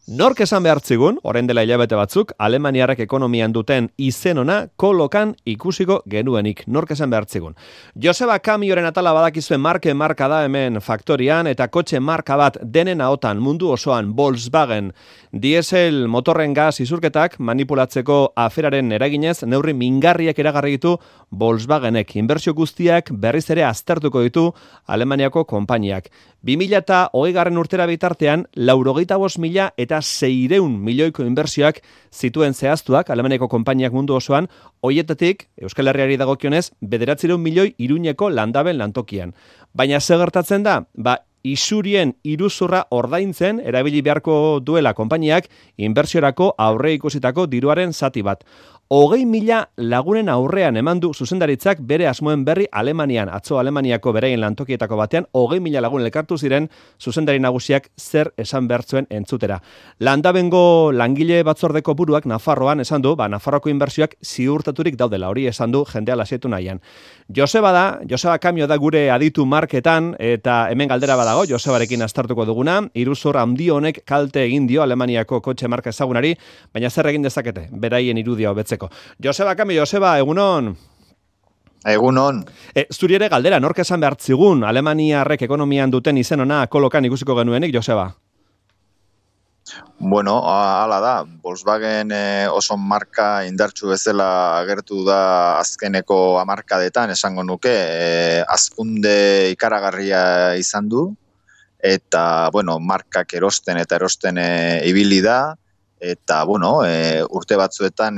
Nork esan behartzigun, orain dela hilabete batzuk, Alemaniarrek ekonomian duten izen ona kolokan ikusiko genuenik. Nork esan behartzigun. Joseba Kamioren atala badakizuen marka da hemen faktorian, eta kotxe marka bat denen ahotan mundu osoan Volkswagen diesel motorren gas isurketak manipulatzeko aferaren eraginez neurri mingarriak eragarri ditu Volkswagenek. Inbertsio guztiak berriz ere aztertuko ditu Alemaniako konpainiak. 2020 urtera bitartean, 85.000 eta 600 milioiko inbertsioak zituen zehaztuak Alemaniako konpainiak mundu osoan, hoietatik, Euskal Herriari dagokionez, 900 milioi Iruñeko landaben lantokian. Baina ze gertatzen da? Isurien iruzurra ordaintzen erabili beharko duela konpainiak inbertsiorako aurre ikusitako diruaren zati bat. 20.000 lagunen aurrean eman du zuzendaritzak bere asmoen berri Alemanian. Atzo Alemaniako beraien lantokietako batean 20.000 lagun elkartu ziren zuzendari nagusiak zer esan behartzuen entzutera. Landabengo langile batzordeko buruak Nafarroan esan du, Nafarroako inbertsioak ziurtaturik daudela, hori esan du jendea lasietu nahian. Joseba Kamio da gure aditu marketan, eta hemen galdera badago, Josebarekin aztertuko duguna, iruzur handi honek kalte egin dio Alemaniako kotxe marka ezagunari, baina zer egin dezakete, beraien irudia hobetzeko. Joseba Kamio, egunon. Egunon. Zuri ere galdera, nork esan behartzigun Alemaniarrek ekonomian duten izen ona kolokan ikusiko genuenik, Joseba? Bueno, hala da, Volkswagen oso marka indartsu bezala agertu da azkeneko hamarkadetan, esango nuke, hazkunde ikaragarria izan du, eta, markak erosten ibili da, eta, urte batzuetan,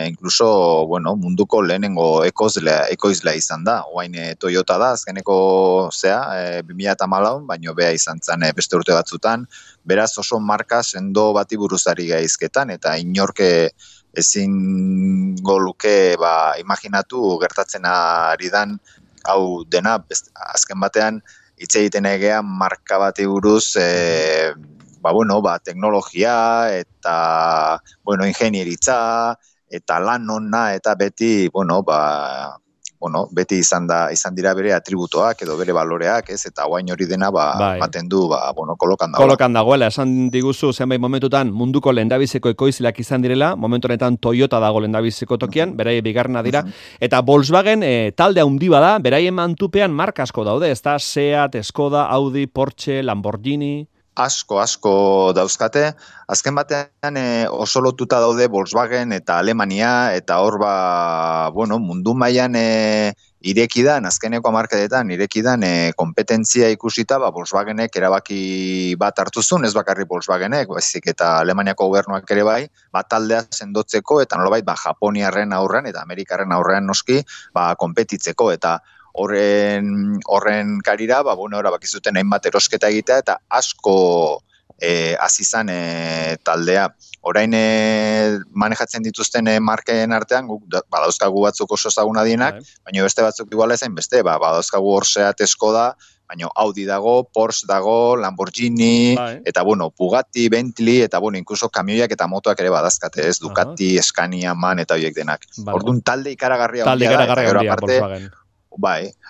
incluso, munduko lehenengo ekoizlea izan da. Oain Toyota da, azkeneko 2014, baino bea izan zen beste urte batzutan. Beraz oso marka sendo bati buruzari gaizketan, eta inorke ezingo luke imaginatu gertatzen ari dan, hau dena, azken batean, hitz egiten egean marka bati buruz, teknologia eta ingenieritza eta lan ona eta beti beti izan dira bere atributoak edo bere baloreak, ez, eta guain hori dena ematen du kolokan dagoela. Kolokan dagoela, esan diguzu zenbait momentutan munduko lehendabiziko ekoizleak izan direla, momentu honetan Toyota dago lehendabiziko tokian, beraie bigarrena dira, eta Volkswagen talde handi bada, beraien mantupean marka asko daude, ez da Seat, Skoda, Audi, Porsche, Lamborghini. Asko dauzkate. Azken batean oso lotuta daude Volkswagen eta Alemania, eta hor mundu mailan irekidan, azkeneko hamarkadetan irekidan kompetentzia ikusita, Volkswagenek erabaki bat hartuzun, ez bakarrik Volkswagenek, baizik eta Alemaniako gobernuak ere bai, taldea sendotzeko eta nolabait Japoniarren aurrean eta Amerikarren aurrean noski, konpetitzeko, eta horren karira, bakizuten hainbat erosketa egitea, eta asko azizan taldea. Orain manejatzen dituzten marken artean, badauzkagu batzuk oso ezaguna dienak, baina beste batzuk iguala ezain beste, badauzkagu hor Seat, Skoda, baina Audi dago, Porsche dago, Lamborghini, eta Bugatti, Bentley, eta inkluso kamioiak eta motoak ere badazkate, ez, Ducati, Scania, MAN, eta horiek denak. Orduan talde ikaragarria Volkswagen.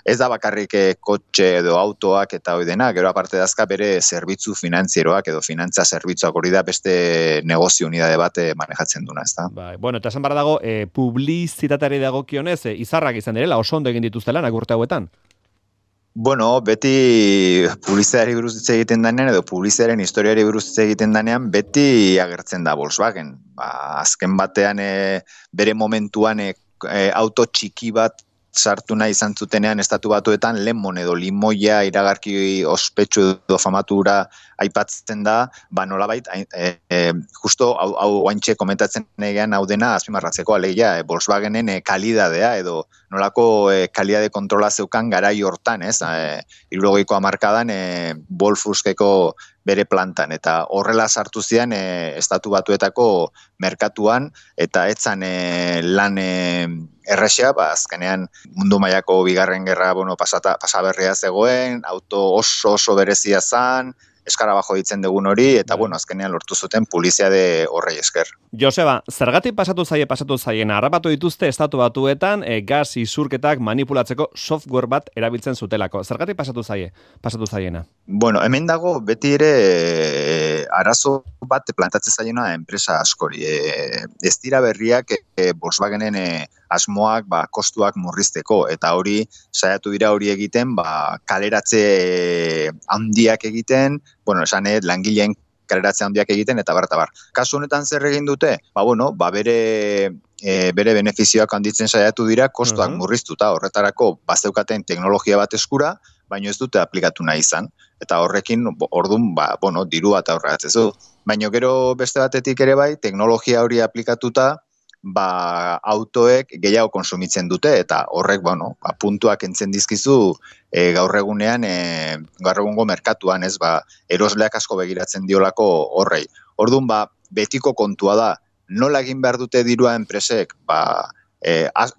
Ez da bakarrik kotxe edo autoak eta hori dena, gero aparte dazka bere zerbitzu finantzieroak edo finantza zerbitzuak hori da beste negozio unidade bat manejatzen duna, ez da. Eta esan barra dago, publizitateari dagokionez, izarrak izan direla, oso ondo egin dituztela, urte hauetan? Beti publizitateari buruz hitz egiten danean, edo publizitatearen historiari buruz hitz egiten danean, beti agertzen da Volkswagen. Azken batean bere momentuan auto txiki bat sartu nahi izan zutenean estatu batuetan lemon edo limoia iragarki ospetsu edo famatura aipatzen da, nolabait, justo hau oaintxe komentatzen egean hau dena azpimarratzeko alegia, Volkswagenen kalidadea edo nolako kalidade kontrola zeukan garai hortan, ez? 70ko hamarkadan Wolfsburgeko bere plantan, eta horrela sartu zian estatu batuetako merkatuan, eta etzan lan errexea, azkenean mundu mailako bigarren gerra pasaberria zegoen, auto oso berezia zan, eskarabajo ditzen dugun hori, eta azkenean lortu zuten publizitate horrei esker. Joseba, zergatik pasatu zaien, harrapatu dituzte estatu batuetan gas isurketak manipulatzeko software bat erabiltzen zutelako. Zergatik pasatu zaiena? Hemen dago beti ere arazo bat plantatzen zaiona enpresa askori. Ez dira berriak Volkswagenen asmoak kostuak murrizteko, eta hori saiatu dira hori egiten kaleratze handiak egiten, esan langileen kaleratze handiak egiten, eta bar. Kasu honetan zer egin dute? Bere benefizioak handitzen saiatu dira, kostuak murriztuta, horretarako bazeukaten teknologia bat eskura, baina ez dute aplikatu nahi izan. Eta horrekin, ordun, dirua eta horregatzezu. Baina gero beste batetik ere bai, teknologia hori aplikatuta, autoek gehiago konsumitzen dute, eta horrek, puntuak entzen dizkizu gaur egungo merkatuan, erosleak asko begiratzen diolako horrei. Ordun, betiko kontua da, nola egin behar dute dirua enpresek,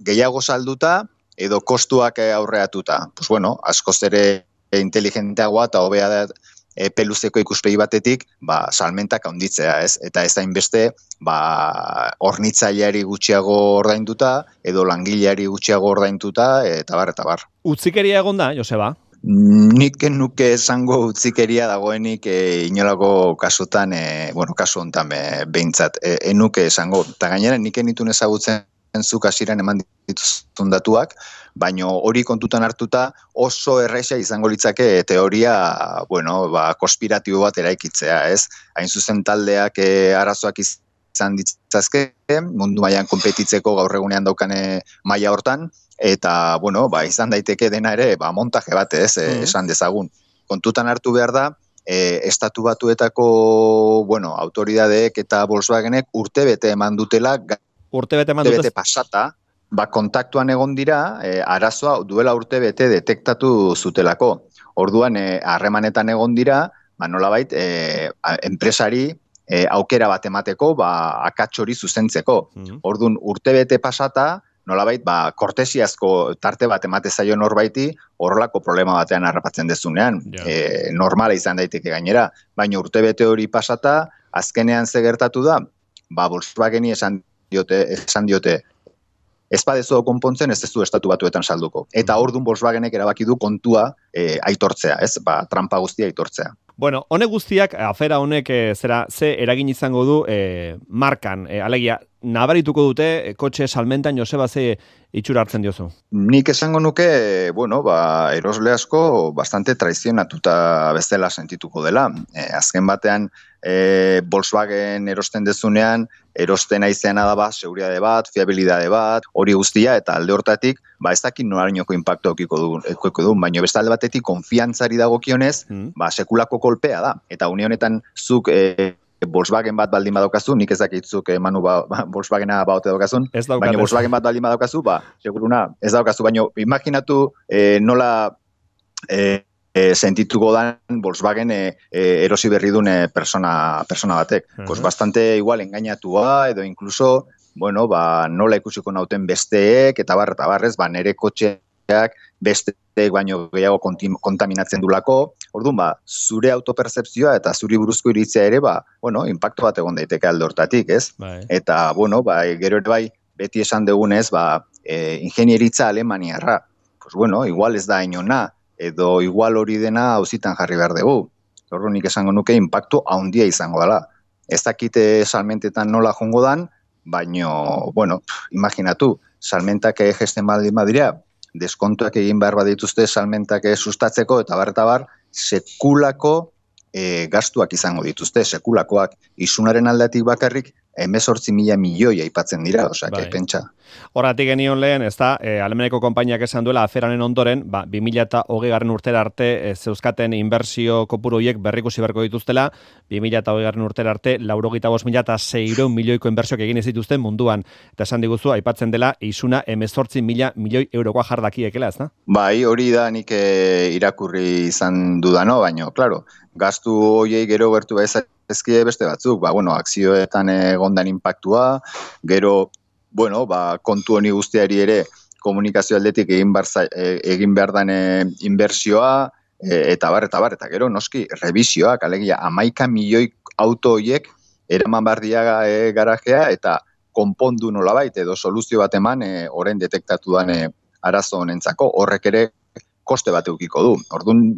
gehiago salduta, edo kostuak aurreatuta. Askoz ere inteligenteagoa eta hobea da peluzeko ikuspegi batetik, salmentak handitzea, ez? Eta ez hainbeste, hornitzaileari gutxiago ordainduta, edo langileari gutxiago ordainduta, eta bar. Utzikeria egon da, Joseba? Nik nuke esango utzikeria dagoenik inolako kasutan, kasu honetan behintzat, enuke esango. Eta gainera, nik enitun ezagutzen zuk hasieran eman dituzun datuak, baina hori kontutan hartuta oso erraixa izango litzake teoria, konspiratibo bat eraikitzea, ez? Hain zuzen taldeak arazoak izan ditzazke, mundu mailan konpetitzeko gaur egunean daukane maila hortan, eta, izan daiteke dena ere, montaje bat, ez, esan dezagun. Kontutan hartu behar da, estatu batuetako, autoridadeek eta Volkswagenek urtebete eman dutela, urtebete pasata, kontaktuan egon dira, arazoa duela urtebete detektatu zutelako. Orduan, harremanetan egon dira, nolabait, enpresari aukera bat emateko, akats hori zuzentzeko. Orduan, urtebete pasata, nolabait, kortesiazko tarte bat emate zaio norbaiti, horrelako problema batean harrapatzen dezunean. Normala izan daiteke gainera, baina urtebete hori pasata, azkenean ze gertatu da, Volkswageni esan diote, ez badezu konpontzen, ez du estatu batuetan salduko. Eta orduan Volkswagenek erabaki du kontua aitortzea, ez? Trampa guztia aitortzea. Honek guztiak, afera honek ze eragin izango du markan, alegia, nabarituko dute kotxe salmentan, Joseba, ze itxura hartzen diozu? Nik esango nuke, erosle asko bastante traizionatuta bezala sentituko dela. Azken batean, Volkswagen erosten dezunean, erosten aizeana da seguridade bat, fiabilidade bat, hori guztia, eta alde hortatik, ez dakit norainoko impacto okiko du, baina beste alde batetik konfiantzari dagokionez, sekulako kolpea da. Eta une honetan zuk Volkswagen bat baldin badaukazu, nik ez dakitzuk Manu Volkswagena baute daukazun, baina Volkswagen bat baldin badaukazu, seguruna ez daukazu, baina imaginatu nola sentituko dan Volkswagen erosi berri duen persona batek. Bastante igual engainatua, edo incluso, nola ikusiko nauten besteek, eta barrez, nere kotxeak besteek baino gehiago kontaminatzen dulako. Orduan, zure autopercepzioa eta zuri buruzko iritzia ere, impacto bat egon daiteke alde hortatik, ez? Eta, gero ere beti esan dugunez, ingenieritza alemaniarra. Igual ez da inona, edo igual hori dena auzitan jarri behar dugu. Orduan nik esango nuke impactu handia izango dela. Ez dakite salmentetan nola jongo dan, baino, imaginatu, salmentak gesten baldin badira, deskontuak egin behar badituzte salmentak sustatzeko, eta bar, sekulako gastuak izango dituzte, sekulakoak. Isunaren aldatik bakarrik, 18.000 milioi aipatzen dira, pentsa. Horratik genion lehen, ez da, Alemaneko konpainiak esan duela aferanen ondoren, 2020 urtera arte zeuzkaten inbertsio kopuru horiek berrikusi beharko dituztela, 2020 urtera arte 95.600 milioiko inbertsioak egin ez dituzten munduan. Eta esan diguzu, aipatzen dela, isuna 18.000 milioi eurokoa jardakiekela, ez da? Hori da nik irakurri izan dudano, baina, klaro, gastu horiei gero gertu ezkie beste batzuk, akzioetan egondan impactua, gero, kontu honi guztiari ere komunikazio aldetik egin behar dan inbertsioa, eta gero, noski, revisioak, alegia, 11 milioi auto horiek eraman behar diaga garajea, eta konpondu nolabait, edo soluzio bat eman, orain detektatu dan arazo honentzako, horrek ere koste bat eukiko du. Orduan,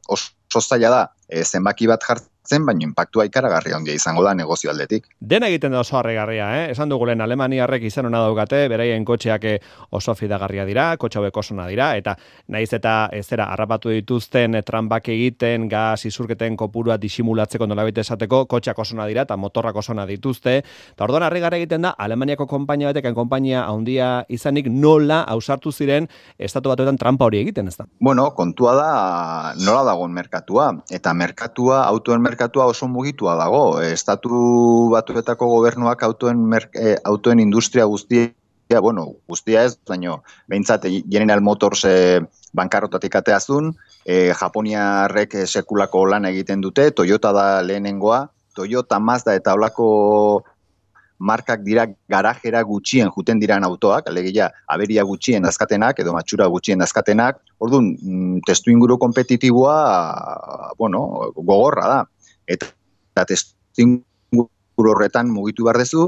oso zaila da, zenbaki bat jartzen, hartzen, baina inpaktua ikaragarri handia izango da negozio aldetik. Dena egiten da oso harrigarria, Esan dugulen alemaniarrek izan ona daukate, beraien kotxeak oso fidagarria dira, kotxe hauek oso ona dira, eta naiz eta harrapatu dituzten tranbak egiten, gas isurketen kopurua disimulatzeko nolabait esateko, kotxeak oso ona dira eta motorrak oso ona dituzte. Eta orduan harrigarria egiten da Alemaniako konpainia batek, konpainia handia izanik nola ausartu ziren estatu batuetan trampa hori egiten, ezta? Bueno, kontua da nola dagoen merkatua, eta autoen merkatua oso mugitua dago. Estatu batuetako gobernuak autoen industria guztia, guztia ez, baina behintzat General Motors bankarrotatik ateazun, Japoniarrek sekulako lan egiten dute, Toyota da lehenengoa, Toyota, Mazda eta olako markak dira garajera gutxien juten diran autoak, alegia aberia gutxien dazkatenak edo matxura gutxien dazkatenak. Orduan, testu inguru kompetitiboa, gogorra da. Eta testu inguru horretan mugitu behar dezu,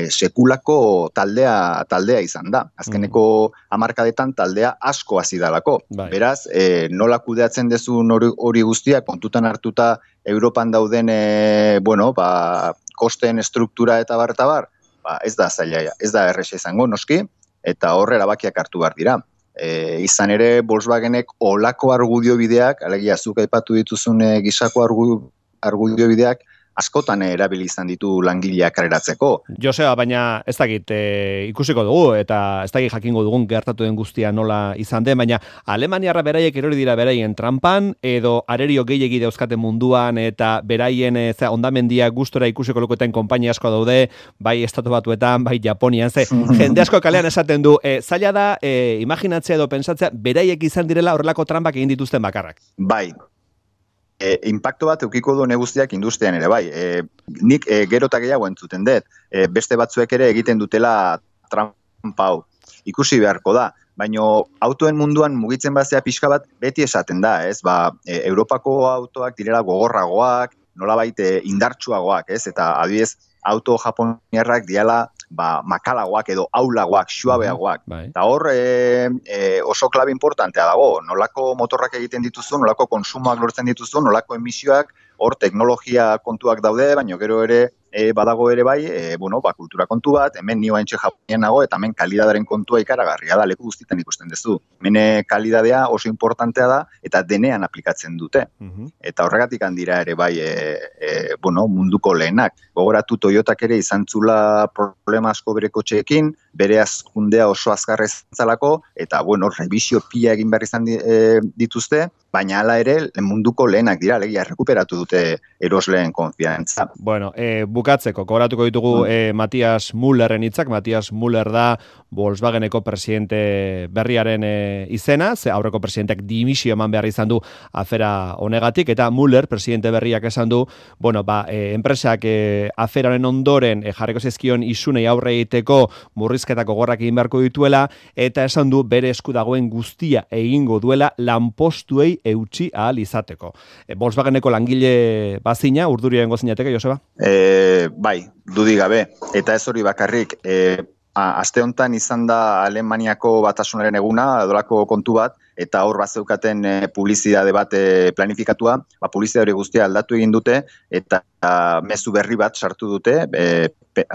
sekulako taldea izan da. Azkeneko hamarkadetan taldea asko hasi dalako. Beraz, nola kudeatzen dezun hori guztia, kontutan hartuta Europan dauden, kosten estruktura eta bar, ez da zaila, ez da erresa izango noski, eta horre erabakiak hartu behar dira. Izan ere, Volkswagenek olako argudio bideak, alegia zuk aipatu dituzun gisako argudio bideak, askotan erabili izan ditu langileak kareratzeko. Joseba, baina ez dakit ikusiko dugu, eta ez dakit jakingo dugun gertatu den guztia nola izan den, baina Alemaniarra beraiek erori dira beraien trampan, edo arerio gehiegi dauzkaten munduan, eta beraien ondamendia gustora ikusiko luketen konpainia asko daude, bai estatu batuetan, bai Japonian, jende asko kalean esaten du, zaila da, imaginatzea edo pensatzea, beraiek izan direla horrelako trampak egin dituzten bakarrak. Bai. Impacto bat eukiko du guztiak industrian ere, bai. Nik gero eta gehiago entzuten dut. Beste batzuek ere egiten dutela trampa hau. Ikusi beharko da. Baina autoen munduan mugitzen bazea pixka bat beti esaten da, ez? Europako autoak direla gogorragoak, nolabait indartsuagoak, ez? Eta adibidez, auto japoniarrak diala makalagoak edo aulagoak, suabeagoak. Eta hor oso klabe importantea dago, nolako motorrak egiten dituzu, nolako konsumoak lortzen dituzu, nolako emisioak, hor teknologia kontuak daude, baina gero ere badago ere bai, kultura kontu bat, hemen nio haintxe Japonian nago, eta hemen kalidadaren kontua ikaragarria da, leku guztietan ikusten duzu. Hemen kalidadea oso importantea da, eta denean aplikatzen dute. Eta horregatik handira ere bai, munduko lehenak. Gogoratu Toyotak ere izan zula problema asko bere kotxeekin, bere azkundea oso azkarrez zalako, eta revisio pila egin behar izan dituzte, baina hala ere munduko lehenak dira, legia rekuperatu dute erosleen konfiantza. Bukatzeko, gogoratuko ditugu Matthias Müllerren hitzak. Matthias Müller da Volkswageneko presidente berriaren izena, ze aurreko presidenteak dimisio eman behar izan du afera honegatik, eta Müller, presidente berriak esan du, enpresak aferaren ondoren jarriko zizkion isunei aurre egiteko murrizketako gorrak egin beharko dituela, eta esan du bere esku dagoen guztia egingo duela lanpostuei eutsi ahal izateko. Volkswageneko langile bazina, urdurien gozinateke, Joseba? Bai, dudik gabe, eta ez hori bakarrik, aste honetan izan da Alemaniako batasunaren eguna, edolako kontu bat, eta hor bazeukaten publizidade bat planifikatua, publizidade guztia aldatu egin dute, eta mezu berri bat sartu dute,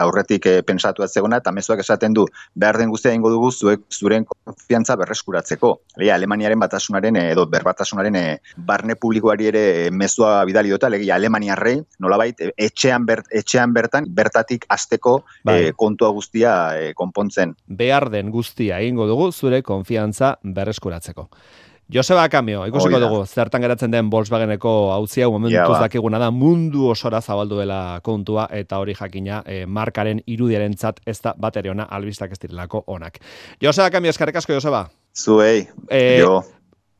aurretik pensatu atzegona, eta mezuak esaten du, behar den guztia egingo dugu zuren konfiantza berreskuratzeko. Alemaniaren batasunaren edo berbatasunaren barne publikoari ere mezua bidali dute, Alemaniarrei, nolabait, etxean bertan, bertatik hasteko kontua guztia konpontzen. Behar den guztia egingo dugu zure konfiantza berreskuratzeko. Joseba Kamio, ikusiko dugu, zertan geratzen den Volkswageneko auzia, momentuz dakiguna da, mundu osora zabaldu dela kontua, eta hori jakina markaren irudiarentzat ez da batere ona, albistak ez direlako onak. Joseba Kamio, eskerrik asko, Joseba. Zuei, jo.